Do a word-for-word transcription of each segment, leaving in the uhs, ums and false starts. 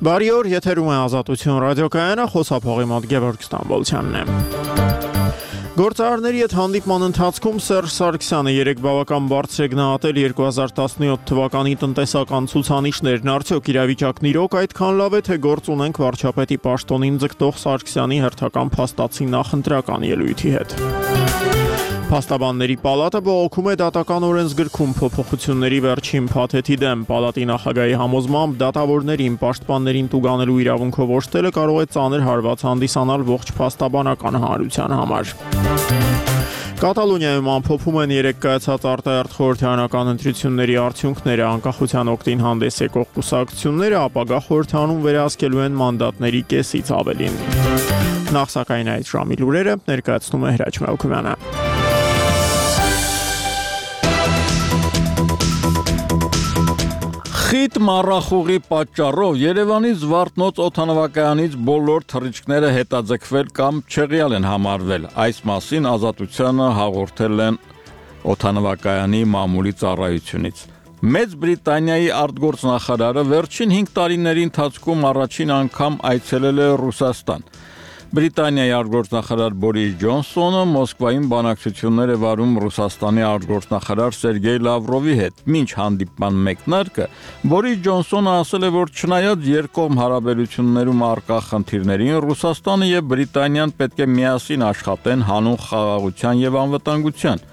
Բարի օր, եթերում է Ազատություն ռադիոկայանը, խոսափողի մոտ Գևորգ Ստամբոլցյանն է։ Գործարարների հետ հանդիպման ընթացքում Սերժ Սարգսյանը երեք բավական բարձր է գնահատել երկու հազար տասնյոթ թվականի տնտեսական ցուցանիշներն, արդյոք իրավիճակն իրոք այդքան լավ է, թե գործ ունենք վարչապետի պաշտոնին ձգտող Սարգսյանի հերթական փաստացի նախընտրական ելույթի հետ։ Փաստաբանների պալատը բողոքում է դատական օրենսգրքում փոփոխությունների վերջին փաթեթի դեմ։ Պալատի նախագահի համոզմամբ դատավորներին պաշտպաններին տուգանելու իրավունքով օժտելը կարող է ծանր հարված հանդիսանալ ողջ փաստաբանական հանրության համար։ Կատալոնիայում ամփոփում են երեք կայացած արտահերթ խորհրդարանական ընտրությունների արդյունքները, անկախության օգտին հանդես եկող կուսակցությունները ապագա խորհրդարանում վերահսկելու են մանդատների կեսից ավելին։ Նախ սակայն այդ ժամի լուրերը ներկայացնում է Հրաչ Մելքումյանը։ Խիտ մառախուղի պատճառով Երևանի Զվարթնոց օդանավակայանից բոլոր թռիչքները հետաձգվել կամ չեղյալ են համարվել։ Այս մասին Ազատությանը հաղորդել են օդանավակայանի մամուլի ծառայությունից։ Մեծ Բրիտանիայի արտգործնախարարը վերջին հինգ տարիների ընթացքում առաջին անգամ այցելել է Ռուսաստան։ Բրիտանիայի արտգործնախարար Բորիս Ջոնսոնը Մոսկվայում բանակցություններ է վարում Ռուսաստանի արտգործնախարար Սերգեյ Լավրովի հետ։ Մինչ հանդիպման մեկնարկը Բորիս Ջոնսոնը ասել է, որ չնայած երկկողմ հարաբերություններում առկա խնդիրներին, Ռուսաստանը եւ Բրիտանիան պետք է միասին աշխատեն հանուն խաղաղության եւ անվտանգության։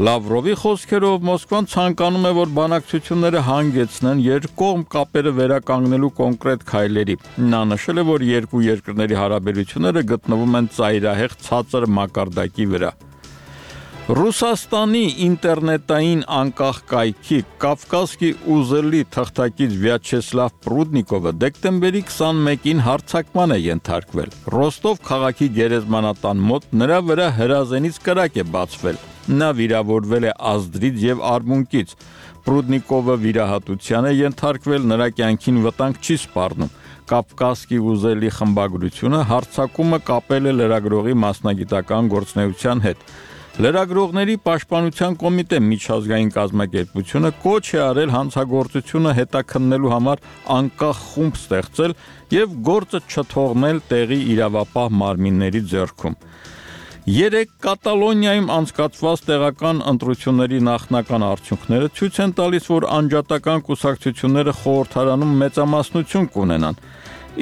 Լավրովի խոսքերով Մոսկվան ցանկանում է, որ բանակցությունները հանգեցնեն երկկողմ կապերը վերականգնելու կոնկրետ քայլերի։ Նա նշել է, որ երկու երկրների հարաբերությունները գտնվում են ծայրահեղ ցածր մակարդակի վրա։ Ռուսաստանի ինտերնետային անկախ կայքի Կավկասկի ուզելի թղթակից Վյաչեսլավ Պրուդնիկովը դեկտեմբերի քսանմեկին հարձակման է ենթարկվել։ Ռոստով քաղաքի գերեզմանատան մոտ նրա վրա հրազենից կրակ է բացվել։ Նա վիրավորվել է ազդրից եւ արմունկից։ Պրուդնիկովը վիրահատության է ենթարկվել, նրա կյանքին վտանգ չի սպառնում։ Կավկասկի ուզելի խմբագրությունը հարձակումը կապել է լրագրողի մասնագիտական գործունեության հետ։ Լրագրողների պաշտպանության կոմիտե միջազգային կազմակերպությունը կոչ է արել հանցագործությունը հետաքննելու համար անկախ խումբ ստեղծել եւ գործը չթողնել տեղի իրավապահ մարմինների ձեռքում։ Երեք Կատալոնիայում անցկացված տեղական ընտրությունների նախնական արդյունքները ցույց են տալիս, որ անջատական կուսակցությունները խորհրդարանում մեծամասնություն կունենան։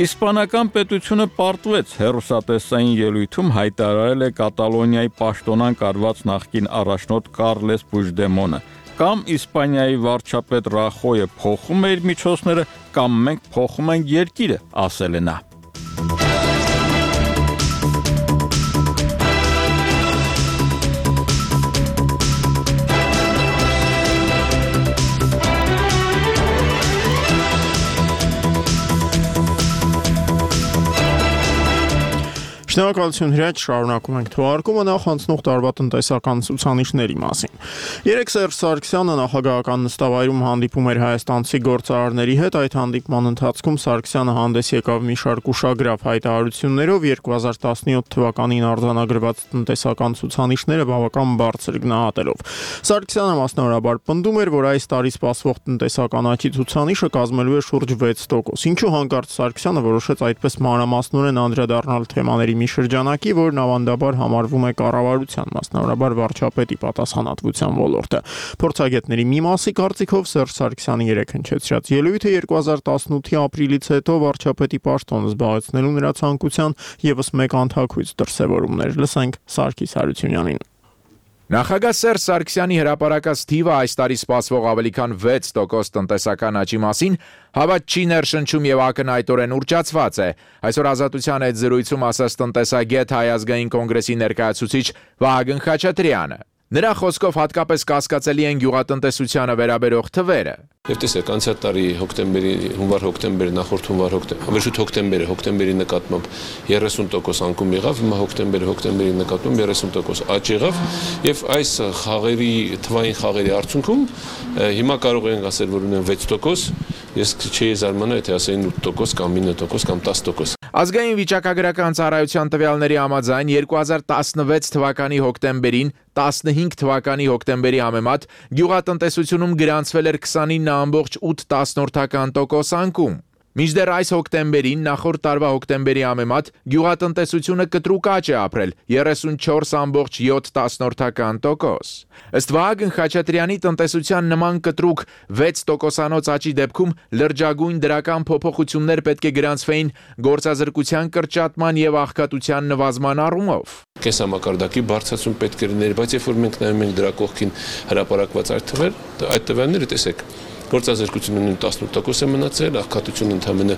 Իսպանական պետությունը պարտվեց հեռուստատեսային ելույթում հայտարարել է Կատալոնիայի պաշտոնանկ արված նախկին առաջնորդ Կարլես Պուժդեմոնը։ Կամ Իսպանիայի վարչապետ Ռախոյը փոխում է իր միջոցները, կամ մենք փոխում ենք երկիրը, ասել է նա։ Շնորհակալություն Հրաչ, շարունակում ենք թողարկումը, նախ անցնող տարվա տնտեսական ցուցանիշների մասին։ Երեք Սերժ Սարգսյանը նախագահական նստավայրում հանդիպում էր հայաստանցի գործարարների հետ, այդ հանդիպման ընթացքում Սարգսյանը հանդես եկավ մի շարք ուշագրավ հայտարարություններով, երկու հազար տասնյոթ թվականին արձանագրված տնտեսական ցուցանիշները բավական բարձր գնահատելով։ Սարգսյանը մասնավորաբար պնդում էր, որ այս տարի սպասվող տնտեսական աճի ցուցանիշը կազմելու է շուրջ վեց տոկոս, ինչու հանկարծ Սարգսյանը որոշեց այդպես մանրամասնորեն անդրադառնալ թեմաների մի շրջանակի, որն ավանդաբար համարվում է կառավարության, մասնավորաբար վարչապետի պատասխանատվության ոլորտը։ Փորձագետների մի մասի կարծիքով Սերժ Սարգսյանի երեք հնչեցրած ելույթը երկու հազար տասնութի ապրիլից հետո վարչապետի պաշտոնը զբաղեցնելու նրա ցանկության ևս մեկ անթաքույց դրսևորումներ։ Լսենք Սարգիս Հարությունյանին։ Նախագահ Սերժ Սարգսյանի հրապարակած թիվը այս տարի սպասվող ավելի քան վեց տոկոս տնտեսական աճի մասին հավատ չի ներշնչում եւ ակնհայտորեն ուռճացված է։ Այսօր Ազատության հետ զրույցում ասաց տնտեսագետ Հայ ազգային կոնգրեսի ներկայացուցիչ Վահագն Խաչատրյանը։ Նրա խոսքով հատկապես կասկածելի են գյուղատնտեսությանը վերաբերող թվերը։ Եվ տեսեք, անցյալ տարի հոկտեմբերի, հունվար-հոկտեմբերի, նախորդ հունվար-հոկտեմբերի, վերջույթ հոկտեմբերի, հոկտեմբերի նկատմամբ երեսուն տոկոս անկում եղավ, հիմա հոկտեմբերի, հոկտեմբերի նկատմամբ երեսուն տոկոս աճ եղավ, եւ այս խաղերի, թվային խաղերի արդյունքում հիմա կարող ենք ասել, որ ունեն վեց տոկոս, ես չէի զարմանա, եթե ասեին ութ տոկոս կամ ինը տոկոս կամ տասը տոկոս։ Ազգային վիճակագրական ծառայության տվյալների համաձայն երկու հազար տասնվեց թվականի հոկտեմբերին տասնհինգ թվականի հոկտեմբերի համեմատ գյուղատնտեսությունում գրանցվել էր քսանինը ամբողջ ութ տասնորդական տոկոս անկում։ Մինչդեռ այս հոկտեմբերին նախորդ տարվա հոկտեմբերի համեմատ գյուղատնտեսությունը կտրուկ աճ է ապրել երեսունչորս կόμma յոթ տոկոս։ Ըստ Վահագն Խաչատրյանի տնտեսության նման կտրուկ վեց տոկոսանոց աճի դեպքում լրջագույն դրական փոփոխություններ պետք է գրանցվեին գործազրկության կրճատման եւ աղքատության նվազման առումով։ Կենսամակարդակի բարձրացում պետք է լիներ, բայց երբ որ մենք նայում ենք դրա կողքին հրապարակված այդ թվեր, այդ տվյալները տեսեք, գործազրկությունը տասնութ տոկոս է մնացել, աղքատությունը ընդամենը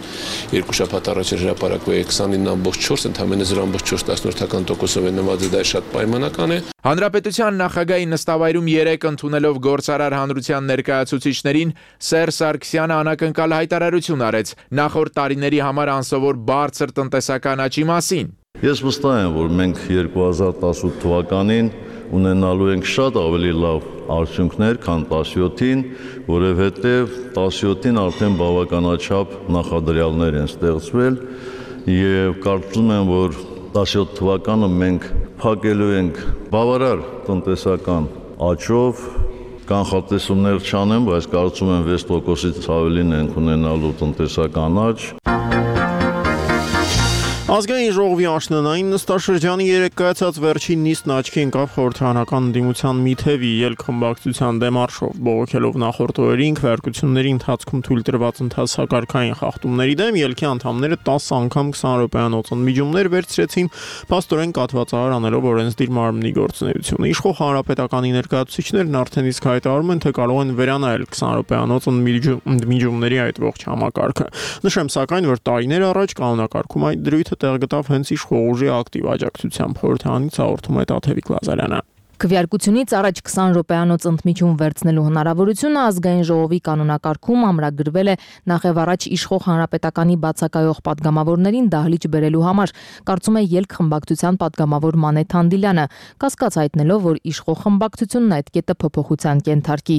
երկու շաբաթ առաջ էր հրապարակվել քսանինը կόμμα չորս, ընդամենը զրո կόμma չորս տոկոսով է նվազել, դա շատ պայմանական է։ Հանրապետության նախագահի նստավայրում երեկ ընդունելով գործարար հանրության ներկայացուցիչներին Սերժ Սարգսյանը անակնկալ հայտարարություն արեց նախորդ տարիների համար անսովոր բարձր տնտեսական աճի մասին։ Ես վստահ եմ, որ մենք երկու հազար տասնութ թվականին ունենալու ենք շատ ավելի լավ արդյունքներ, քան տասնյոթին, որովհետև տասնյոթին արդեն բավականաչափ նախադրյալներ են ստեղծվել եւ կարծում եմ, որ տասնյոթ թվականը մենք փակելու ենք բավարար տնտեսական աճով, կանխատեսումներ չանեմ, բայց կարծում եմ վեց տոկոսից ավելին ենք ունենալու տնտեսական աճ։ Ազգային ժողովի աշնանային նստաշրջանի երեկ կայացած վերջին նիստն աչքի ընկավ խորհրդարանական ընդդիմության մի թևի ելք խմբակցության դեմարշով, բողոքելով նախորդ օրերին քվեարկությունների ընթացքում թույլ տրված ընթացակարգային խախտումների դեմ, ելքի անդամները տասը անգամ քսան րոպեանոց ընդմիջումներ վերցրեցին, փաստորեն կաթվածահար անելով օրենսդիր մարմնի գործունեությունը։ Իշխող հանրապետականի ներկայացուցիչներն արդեն իսկ հայտարարում են, թե կարող են վերանայել քսան րոպեանոց ընդմիջումների այդ ողջ համակարգը։ Նշեմ սակայն, որ տարիներ առաջ կանոնակարգում այդ դրույթը տեղ գտավ հենց իշխող ուժի ակտիվ աջակցությամբ, խորհրդարանից հաղորդում է Տաթևիկ Լազարյանը։ Քվեարկությունից առաջ քսան րոպեանոց ընդմիջում վերցնելու հնարավորությունը ազգային ժողովի կանոնակարգում ամրագրվել է նախև առաջ իշխող հանրապետականի բացակայող падգամավորներին դահլիճ բերելու համար, կարծում է ելք խմբակցության падգամավոր Մանեթ Հանդիլյանը, կասկած հայտնելով, որ իշխող խմբակցությունն այդ կետը փոփոխության կենթարկի։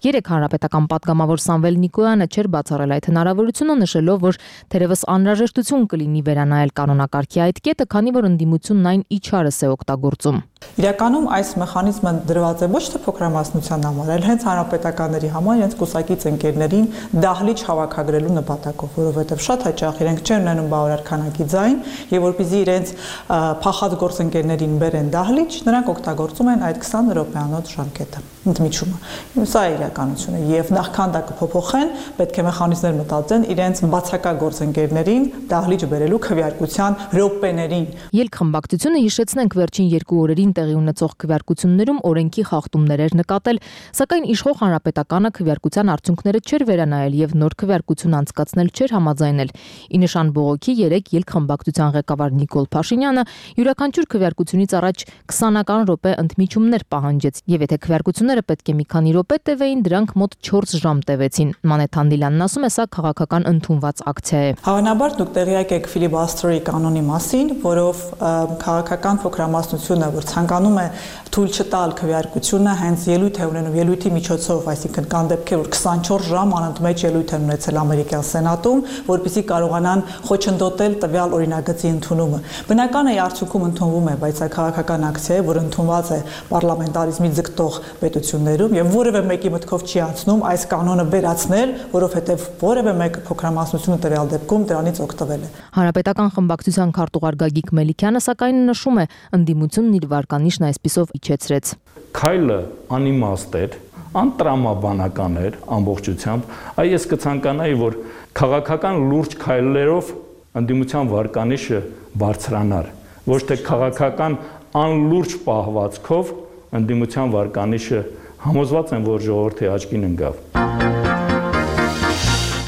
Երեք հանրապետական падգամավոր Սամվել Նիկոյանը չէր բացառել այդ հնարավորությունը, նշելով, որ թերևս անհրաժեշտություն կլինի վերանայել կանոնակարգի այդ կետը, քանի որ ընդդիմությունն այն իջարս է օգտագործում։ Իրականում այս մեխանիզմը դրված է ոչ թե փոքրամասնության համար, այլ հենց հանրապետականների համար, իրենց կուսակից ընկերներին դահլիճ հավաքագրելու նպատակով, որովհետև շատ հաճախ իրենք չեն ունենում բավարար քանակի ձայն, եւ որպեսզի իրենց փախած գործընկերներին բերեն դահլիճ, նրանք օգտագործում են այդ քսան րոպեանոց ժամկետը, ընդմիջումը։ Սա է իրականությունը, եւ նախքան դա կփոփոխեն, պետք է մեխանիզմներ մտածեն իրենց բացակա գործընկերներին դահլիճ բերելու քվեարկության րոպեներին։ Ելք խմբակցությունը, հիշեցնենք, վերջին երկու օրերին տեղի ունեցող քվեարկություններում օրենքի խախտումներ էր նկատել, սակայն իշխող հանրապետականը քվեարկության արդյունքները չէր վերանայել եւ նոր քվեարկություն անցկացնել չէր համաձայնել։ Ի նշան բողոքի երեք ելք խմբակցության ղեկավար Նիկոլ Փաշինյանը յուրաքանչյուր քվեարկությունից առաջ քսանական րոպե ընդմիջումներ պահանջեց եւ եթե քվեարկությունները պետք է մի քանի րոպե տևեին, դրանք մոտ չորս ժամ տևեցին։ Մանեթ Հանդիլյանն ասում է, սա քաղաքական ընդունված ակցիա է։ Հավանաբար դուք տեղյակ եք ֆիլիբասթերի կանոնի մասին, որով քաղաքական փոքրամասնությունը, որ ցանկանում է թույլ չտալ քվեարկությունը, հենց ելույթ է ունենում ելույթի միջոցով, այսինքն կան դեպքեր, որ քսանչորս ժամ անընդմեջ ելույթ են ունեցել ամերիկյան սենատում, որպեսզի կարողանան խոչընդոտել տվյալ օրինագծի ընդունումը։ Բնական է արդյունքում ընդունվում է, բայց այդ քաղաքական ակցիա է, որ ընդունված է պարլամենտարիզմի ձգտող պետություններում եւ որևէ մեկի մտքով չի անցնում այս կանոնը վերացնել, որովհետեւ որևէ մեկ փոքրամասնությունը տվյալ դեպքում դրանից օգտվել է։ Հանրապետական խմբակցության քարտուղար Գագիկ Մելիքյանը սակայն նշում է, ընդդիմությունն իր վարկանիշն այսպիսով իջեցրեց։ Քայլը անիմաստ էր, անտրամաբանական էր ամբողջությամբ, այ ես կցանկանայի, որ քաղաքական լուրջ քայլերով ընդդիմության վարկանիշը բարձրանար, ոչ թե քաղաքական անլուրջ պահվածքով ընդդիմության վարկանիշը համոզված եմ, որ ժողովրդի աչքին ընկավ։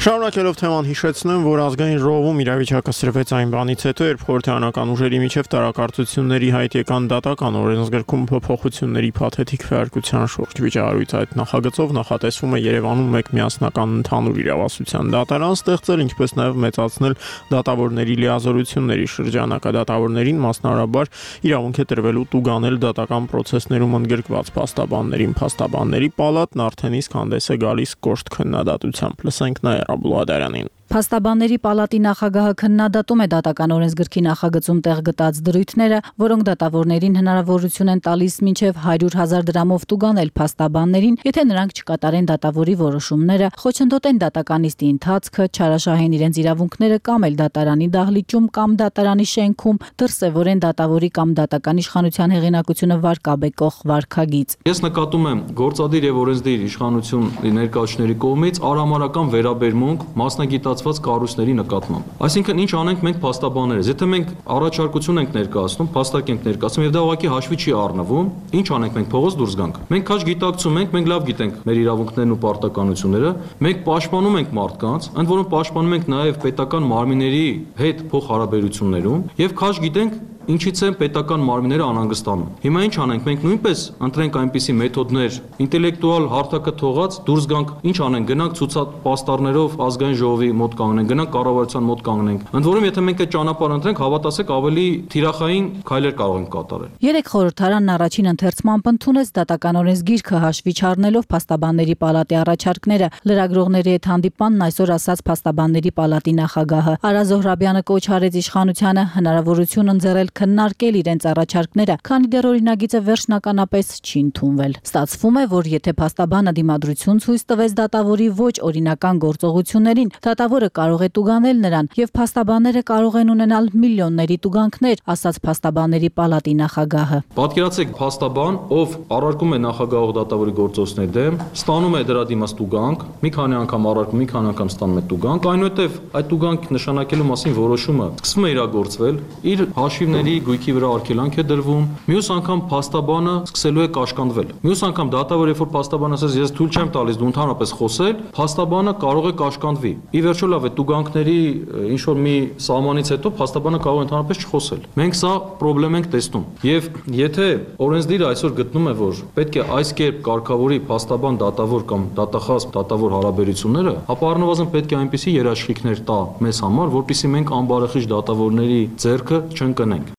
Շարունակելով թեման հիշեցնեմ, որ ազգային ժողովում իրավիճակը սրվեց այն բանից հետո, երբ խորհրդարանական ուժերի միջև տարակարծությունների հայտ եկան դատական օրենսգրքում փոփոխությունների փաթեթիկ քվեարկության շուրջ վիճահարույց այդ նախագծով նախատեսվում է Երևանում մեկ միասնական ընդհանուր իրավասության դատարան ստեղծել, ինչպես նաև մեծացնել դատավորների լիազորությունների շրջանակը, դատավորներին մասնարարաբար իրավունք է տրվելու տուգանել դատական պրոցեսներում ընդգրկված փաստաբաններին, փաստաբանների պալատն արդեն իսկ հանդես է գալիս կոշտ քննադատությամբ։ Լսենք նաև Աբուլադարանին։ Փաստաբանների պալատի նախագահը քննադատում է դատական օրենսգրքի նախագծում տեղ գտած դրույթները, որոնք դատավորներին հնարավորություն են տալիս մինչև հարյուր հազար դրամով տուգանել փաստաբաններին, եթե նրանք չկատարեն դատավորի որոշումները, խոչընդոտեն դատականիստի ընթացքը, չարաշահեն իրենց իրավունքները կամ էլ դատարանի դահլիճում կամ դատարանի շենքում, դրսևորեն դատավորի կամ դատական իշխանության հեղինակությունը վարկաբեկող վարքագիծ։ Ես նկատում եմ գործադիր եւ օրենսդիր իշխանություն ներկայացուցիչների կողմից արհամարհական վերաբերմունք մասնագիտացված կառույցների նկատմամբ։ Այսինքն ինչ անենք մենք փաստաբաններս, եթե մենք առաջարկություն ենք ներկայացնում, փաստակ ենք ներկայացնում եւ դա ուղղակի հաշվի չի առնվում, ինչ անենք մենք փողոց դուրս գանք։ Մենք քաջ գիտակցում ենք, մենք լավ գիտենք մեր իրավունքներն ու պարտականությունները, մենք պաշտպանում ենք մարդկանց, ընդ որում պաշտպանում ենք նաեւ պետական մարմինների հետ փոխհարաբերություններում եւ քաջ գիտենք ինչից են պետական մարմինները անհանգստանում։ Հիմա ինչ անենք, մենք նույնպես ընտրենք այնպիսի մեթոդներ, ինտելեկտուալ հարթակը թողած դուրս գանք, ինչ անենք, գնանք ցուցապաստառներով ազգային ժողովի մոտ կանգնենք, գնանք կառավարության մոտ կանգնենք։ Ընդ որում, եթե մենք այդ ճանապարհը ընտրենք, հավատացեք, ավելի թիրախային քայլեր կարող ենք կատարել։ Երեք խորհրդարանն առաջին ընթերցմամբ ընդունեց դատական օրենսգիրքը հաշվի չառնելով փաստաբանների պալատի առաջարկները։ Լրագրողների հետ հանդիպմանն այսօր ասաց փաստաբանների պալատի նախագահը Արա Զոհրաբյանը կոչ արեց իշխանությանը հնարավորություն ընձեռել քննարկել իրենց առաջարկները, քանի դեռ օրինագիծը վերջնականապես չի ընդունվել։ Ստացվում է, որ եթե փաստաբանը դիմադրություն ցույց տվեց դատավորի ոչ օրինական գործողություններին, դատավորը կարող է տուգանել նրան եւ փաստաբանները կարող են ունենալ միլիոնների տուգանքներ, ասաց փաստաբանների պալատի նախագահը։ Պատկերացեք փաստաբան, ով առարկում է նախագահող դատավորի գործողությունների դեմ, ստանում է դրա դիմաց տուգանք, մի քանի անգամ առարկում, մի քանի անգամ ստանում է տուգանք, այնուհետև այդ տուգանք նշանակելու մասին որոշումը սկսում է իրագործվել, իր հաշիվների գույքի վրա արգելանք է դրվում, մյուս անգամ փաստաբանը սկսելու է կաշկանդվել։ Մյուս անգամ դատավորը, երբ որ փաստաբանը ասես ես թույլ չեմ տալիս դու ընդհանրապես խոսել, փաստաբանը կարող է կաշկանդվի։ Ի վերջո լավ է, տուգանքների ինչ որ մի սահմանից հետո փաստաբանը կարող է ընդհանրապես չխոսել։ Մենք սա խնդրեմ ենք տեսնում։ Եվ եթե օրենսդիրը այսօր գտնում է, որ պետք է այս կերպ կարգավորի փաստաբան դատավոր կամ դատախազ դատավոր հարաբերությունները, ապա առնվազն պետք է այնպիսի երաշխիքներ տա մեզ համար, որպեսզի մենք անբարեխիղճ դատավորների ձեռքը չընկնենք։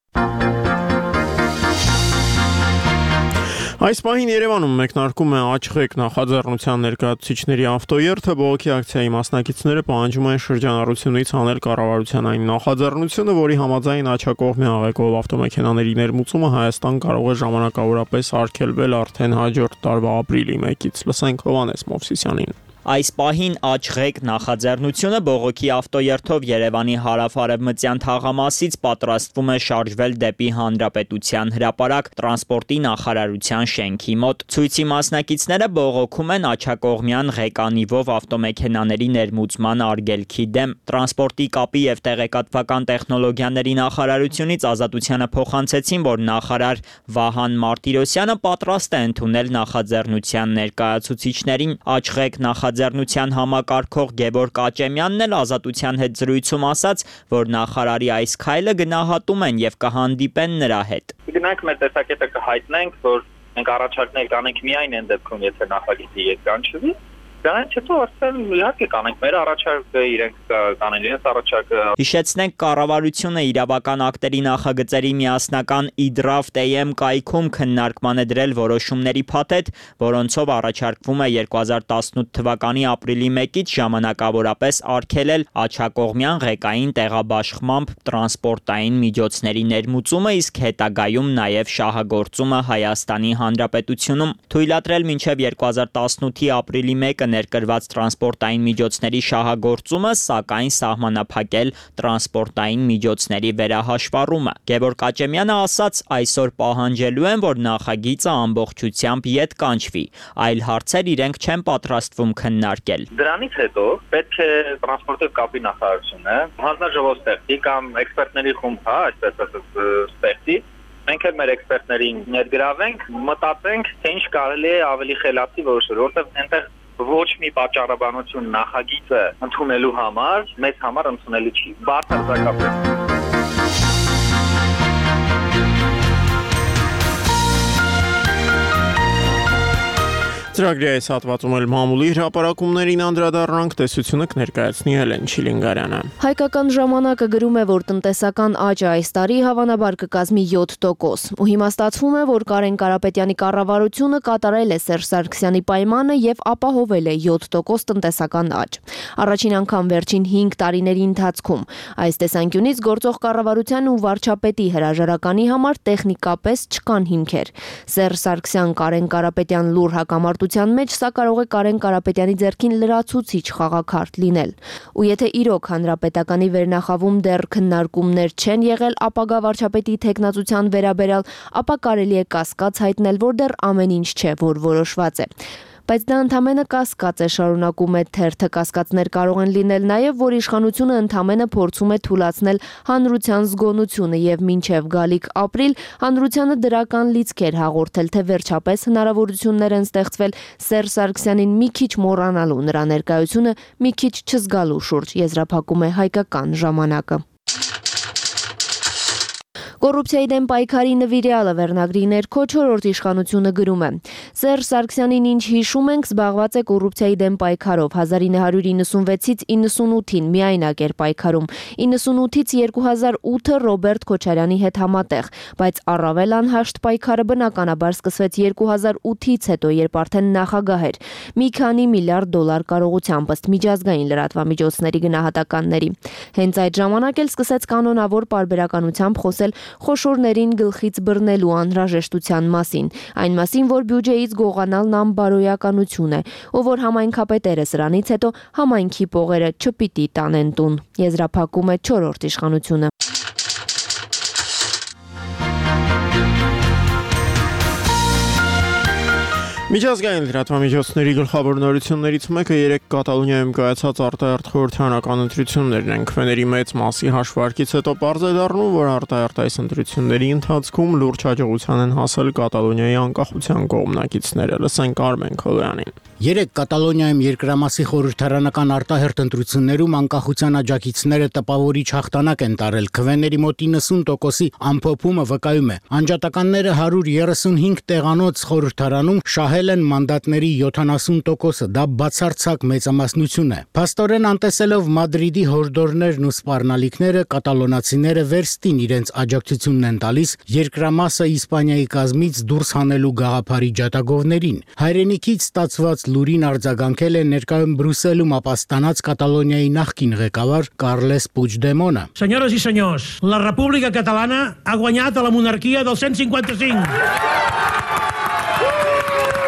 Այս պահին Երևանում մեկնարկում է Աչղեկ նախաձեռնության ներկայացուցիչների ավտոերթը, բողոքի ակցիայի մասնակիցները պահանջում են շրջանառությունից հանել կառավարության այն նախաձեռնությունը, որի համաձայն աջակողմի աղեկով ավտոմեքենաների ներմուծումը Հայաստան կարող է ժամանակավորապես արգելվել արդեն հաջորդ տարվա ապրիլի մեկից։ Լսենք Հովհաննես Մովսիսյանին։ Այս պահին Աչղեկ նախաձեռնությունը բողոքի ավտոերթով Երևանի հարավ-արևմտյան թաղամասից պատրաստվում է շարժվել դեպի Հանրապետության հրապարակ տրանսպորտի նախարարության շենքի մոտ։ Ցույցի մասնակիցները բողոքում են աջակողմյան ղեկանիվով ավտոմեքենաների ներմուծման արգելքի դեմ։ Տրանսպորտի կապի եւ տեղեկատվական տեխնոլոգիաների նախարարությունից Ազատությանը փոխանցեցին, որ նախարար Վահան Մարտիրոսյանը պատրաստ է ընդունել նախաձեռնության ներկայացուցիչներին։ Աչղեկ նախաձեռնության Ձեռնության համակարգող Գևորգ Աճեմյանն էլ Ազատության հետ զրույցում ասաց, որ նախարարի այս քայլը գնահատում են եւ կհանդիպեն նրա հետ։ Գնանք մեր տեսակետը կհայտնենք, որ մենք առաջարկներ կանենք միայն այն դեպքում, եթե նախագիծի եկանչվի, դրանից հետո արդեն իհարկե կանենք մեր առաջարկը, իրենք կանեն իրենց առաջարկը։ Հիշեցնենք, կառավարությունը իրավական ակտերի նախագծերի միասնական e-draft.am կայքում քննարկման է դրել որոշումների փաթեթ, որոնցով առաջարկվում է երկու հազար տասնութ թվականի ապրիլի մեկից ժամանակավորապես արգելել աջակողմյան ղեկային տեղաբաշխմամբ տրանսպորտային միջոցների ներմուծումը, իսկ հետագայում նաև շահագործումը Հայաստանի Հանրապետությունում։ Թույլատրել մինչև երկու հազար տասնութի ապրիլի մեկը ներկրված տրանսպորտային միջոցների շահագործումը, սակայն սահմանափակել տրանսպորտային միջոցների վերահաշվառումը։ Գևորգ Աճեմյանը ասաց, այսօր պահանջելու են, որ նախագիծը ամբողջությամբ ետ կանչվի, այլ հարցեր իրենք չեն պատրաստվում քննարկել։ Դրանից հետո պետք է տրանսպորտի կապի նախարարությունը հանձնաժողով ստեղծի կամ էքսպերտների խումբ, հա, այսպես ասած, ստեղծի։ Մենք էլ մեր էքսպերտներին ներգրավենք, մտածենք, թե ինչ կարելի է ավելի խելացի որոշել, որովհետև այնտեղ ոչ մի պատճառաբանություն նախագիծը ընդունելու համար մեզ համար ընդունելի չի։ Բարձրացակապ Ծրագրի այս հատվածում էլ մամուլի հրապարակումներին անդրադառնանք, տեսությունը կներկայացնի Հելեն Չիլինգարյանը։ Հայկական ժամանակը գրում է, որ տնտեսական աճը այս տարի հավանաբար կկազմի յոթ տոկոս։ Ու հիմա ստացվում է, որ Կարեն Կարապետյանի կառավարությունը կատարել է Սերժ Սարգսյանի պայմանը եւ ապահովել է յոթ տոկոս տնտեսական աճ։ Առաջին անգամ վերջին հինգ տարիների ընթացքում։ Այս տեսանկյունից գործող կառավարության ու վարչապետի հրաժարականի համար տեխնիկապես չկան հիմքեր։ Սերժ Սարգսյան Կարեն Կարապետյան լուր հակամարտության մեջ սա կարող է Կարեն Կարապետյանի ձեռքին լրացուցիչ խաղաքարտ լինել։ Ու եթե իրոք հանրապետականի վերնախավում դեռ քննարկումներ չեն եղել ապագա վարչապետի թեկնածության վերաբերյալ, ապա կարելի է կասկած հայտնել, որ դեռ ամեն ինչ չէ, որ որոշված է։ Բայց դա ընդամենը կասկած է, շարունակում է թերթը, կասկածներ կարող են լինել նաև, որ իշխանությունը ընդամենը փորձում է թուլացնել հանրության զգոնությունը եւ մինչեւ գալիք ապրիլ հանրությանը դրական լիցքեր հաղորդել, թե վերջապես հնարավորություններ են ստեղծվել Սերժ Սարգսյանին մի քիչ մոռանալու, նրա ներկայությունը մի քիչ չզգալու շուրջ, եզրափակում է Հայկական ժամանակը։ Կոռուպցիայի դեմ պայքարի նվիրյալը վերնագրի ներքո չորրորդ իշխանությունը գրում է. Սերժ Սարգսյանին ինչ հիշում ենք, զբաղված է կոռուպցիայի դեմ պայքարով, հազար ինը հարյուր իննսունվեցից իննսունութին միայնակ էր պայքարում, իննսունութից երկու հազար ութը Ռոբերտ Քոչարյանի հետ համատեղ, բայց առավել անհաշտ պայքարը բնականաբար սկսվեց երկու հազար ութից հետո, երբ արդեն նախագահ էր, մի քանի միլիարդ դոլար կարողությամբ ըստ միջազգային լրատվամիջոցների գնահատականների։ Հենց այդ ժամանակ էլ սկսեց կանոնավոր պարբերականությամբ խոսել խոշորներին գլխից բռնելու անհրաժեշտության մասին, այն մասին, որ բյուջեից գողանալն անբարոյականություն է, ու որ համայնքապետերը սրանից հետո համայնքի պողերը չպիտի տանեն տուն, եզրափակում է չորրորդ իշխանությունը։ Միջազգային լրատվամիջոցների գլխավոր նորություններից մեկը երեք Կատալոնիայում կայացած արտահերթ խորհրդարանական ընտրություններն են։ Քվեների մեծ մասի հաշվարկից հետո պարզ է դառնում, որ արտահերթ այս ընտրությունների ընթացքում լուրջ հաջողության են հասել Կատալոնիայի անկախության կողմնակիցները։ Լսենք Արմեն Քոլյանին։ Երեք Կատալոնիայում երկրամասի խորհրդարանական արտահերթ ընտրություններում անկախության աջակիցները տպավորիչ հաղթանակ են տարել։ Քվեների մոտ իննսուն տոկոսի ամփոփումը վկայում է, անջատականները հարյուր երեսունհինգ տեղանոց խորհրդարանում շահել են մանդատների յոթանասուն տոկոսը, դա բացարձակ մեծամասնություն է։ Փաստորեն անտեսելով Մադրիդի հորդորներն ու սպառնալիքները, կատալոնացիները վերստին իրենց աջակցությունն են տալիս երկրամասը Իսպանիայի կազմից դուրս հանելու գաղափարի ջատագովներին։ Հայրենիքից ստացված լուրին արձագանքել է ներկայում Բրուսելում ապաստանած Կատալոնիայի նախկին ղեկավար Կարլես Պուigdemont-ը։ Senyores i senyors, la República Catalana ha guanyat a la monarquia del cent cinquanta-cinc.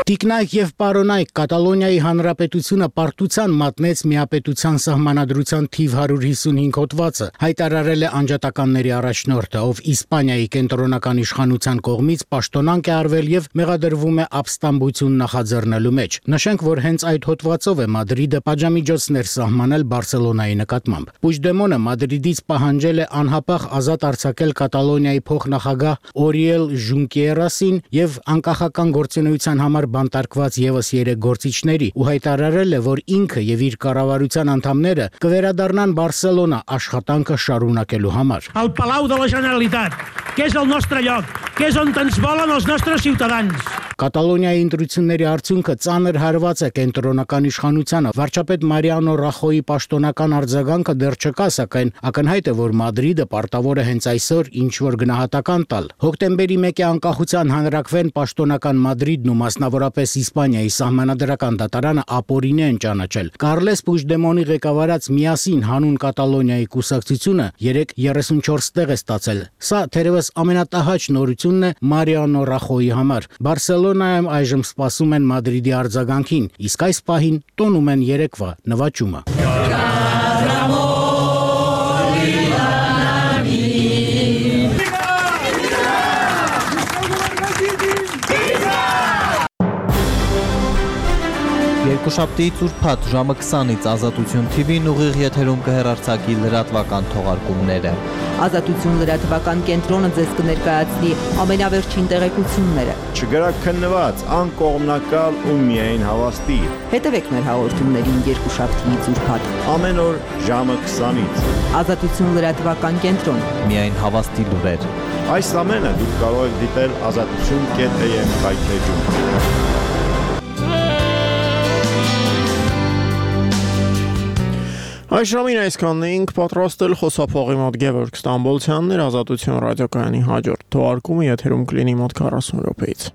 Տիկնայք եւ պարոնայք, Կատալոնիայի հանրապետությունը պարտության մատնեց միապետության սահմանադրության թիվ հարյուր հիսունհինգ հոդվածը, հայտարարել է անջատականների առաջնորդը, ով Իսպանիայի կենտրոնական իշխանության կողմից պաշտոնանկ է արվել եւ մեղադրվում է ապստամբություն նախաձեռնելու մեջ։ Նշենք, որ հենց այդ հոդվածով է Մադրիդը պատժամիջոցներ սահմանել Բարսելոնայի նկատմամբ։ Պուigdemont-ը Մադրիդից պահանջել է անհապաղ ազատ արձակել Կատալոնիայի փոխնախագահ Օրիել Ժունկերասին եւ անկախական գործունեության համար բանտարկված եւս երեք գործիչների ու հայտարարել է, որ ինքը եւ իր կառավարության անդամները կվերադառնան Բարսելոնա աշխատանքը շարունակելու համար։ Al Palau de la Generalitat, que és el nostre lloc, que és on ens volen els nostres ciutadans. Կատալոնիայի ընտրությունների արդյունքը ծանր հարված է կենտրոնական իշխանությանը։ Վարչապետ Մարիանո Ռախոյի պաշտոնական արձագանքը դեռ չկա, սակայն ակնհայտ է, որ Մադրիդը պարտավոր է հենց այսօր ինչ-որ գնահատական տալ։ Հոկտեմբերի մեկի անկախության հանրակրվեն պաշտոնական Մադրիդն ու մասնավորապես Իսպանիայի սահմանադրական դատարանը ապօրինի են ճանաչել։ Կարլես Պուigdemont-ի ղեկավարած Միասին հանուն Կատալոնիայի կուսակցությունը երեք երեսունչորս տեղ է ստացել։ Սա թերևս ամենատահաճ նորությունն է Մարիանո Ռախոյի համար։ Բարսելոնայում այժմ սպասում են Մադրիդի արձագանքին, իսկ այս պահին տոնում են երեկվա նվաճումը։ Երկուշաբթիից ուրբաթ ժամը քսանից Ազատություն թի վին ուղիղ եթերում կհեռարձակի լրատվական թողարկումները։ Ազատություն լրատվական կենտրոնը ձեզ կներկայացնի ամենավերջին տեղեկությունները։ Չգրակ քննված, անկողմնակալ ու միայն հավաստի։ Հետևեք մեր հաղորդումներին երկուշաբթիից ուրբաթ ամեն օր ժամը քսանից։ Ազատություն լրատվական կենտրոն։ Միայն հավաստի լուրեր։ Այս ամենը դուք կարող եք դիտել ազատություն կետ էմ հայթեջում։ Այս ժամին այսքանն էինք պատրաստել խոսափողի մոտ Գևորգ Ստամբոլցյանն էր Ազատություն ռադիոկայանի հաջորդ թողարկումը եթերում կլինի մոտ քառասուն րոպեից։